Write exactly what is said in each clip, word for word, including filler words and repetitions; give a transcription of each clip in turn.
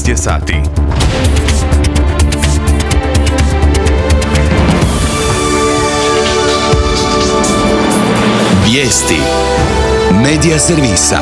šesnaest je sati. Vijesti Medija servisa.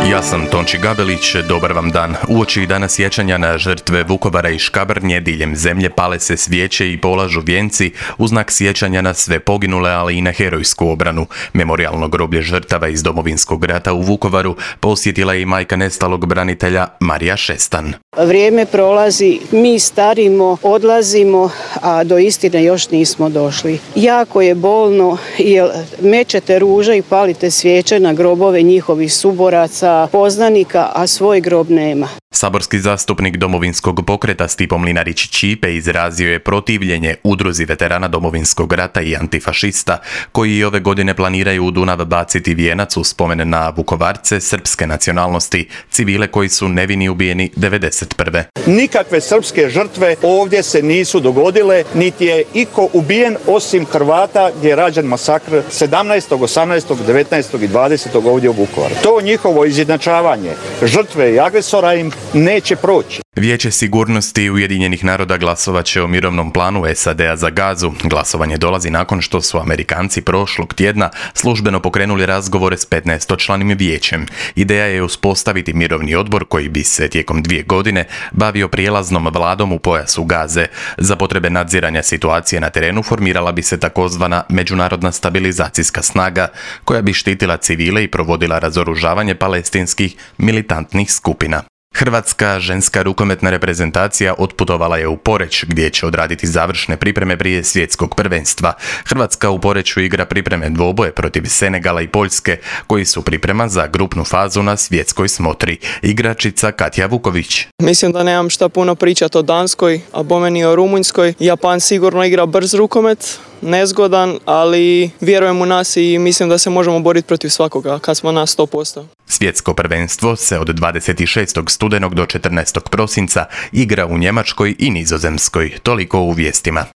Ja sam Tonči Gabelić, dobar vam dan. Uoči dana sjećanja na žrtve Vukovara i Škabrnje diljem zemlje pale se svijeće i polažu vijenci u znak sjećanja na sve poginule, ali i na herojsku obranu. Memorijalno groblje žrtava iz Domovinskog rata u Vukovaru posjetila je i majka nestalog branitelja Marija Šestan. Vrijeme prolazi, mi starimo, odlazimo, a do istine još nismo došli. Jako je bolno jer mećete ruže i palite svijeće na grobove njihovih suboraca, poznanika, a svoj grob nema. Saborski zastupnik Domovinskog pokreta Stipo Mlinarić-Ćipe izrazio je protivljenje udruzi veterana Domovinskog rata i antifašista koji i ove godine planiraju u Dunav baciti vijenac u spomen na Vukovarce srpske nacionalnosti, civile koji su nevini ubijeni devedeset prve. Nikakve srpske žrtve ovdje se nisu dogodile, niti je iko ubijen osim Hrvata gdje je rađen masakr sedamnaestog, osamnaestog, devetnaestog i dvadesetog ovdje u Vukovaru. To njihovo izjednačavanje žrtve i agresora im neće proći. Vijeće sigurnosti Ujedinjenih naroda glasovat će o mirovnom planu S A D-a za Gazu. Glasovanje dolazi nakon što su Amerikanci prošlog tjedna službeno pokrenuli razgovore s petnaestočlanim vijećem. Ideja je uspostaviti mirovni odbor koji bi se tijekom dvije godine bavio prijelaznom vladom u pojasu Gaze. Za potrebe nadziranja situacije na terenu formirala bi se takozvana međunarodna stabilizacijska snaga koja bi štitila civile i provodila razoružavanje palestinskih militantnih skupina. Hrvatska ženska rukometna reprezentacija otputovala je u Poreč gdje će odraditi završne pripreme prije svjetskog prvenstva. Hrvatska u Poreču igra pripreme dvoboje protiv Senegala i Poljske koji su priprema za grupnu fazu na svjetskoj smotri. Igračica Katja Vuković. Mislim da nemam šta puno pričati o Danskoj, a bome ni o Rumunjskoj. Japan sigurno igra brz rukomet, nezgodan, ali vjerujem u nas i mislim da se možemo boriti protiv svakoga kad smo na sto posto. Svjetsko prvenstvo se od dvadeset šestog studenog do četrnaestog prosinca igra u Njemačkoj i Nizozemskoj. Toliko u vijestima.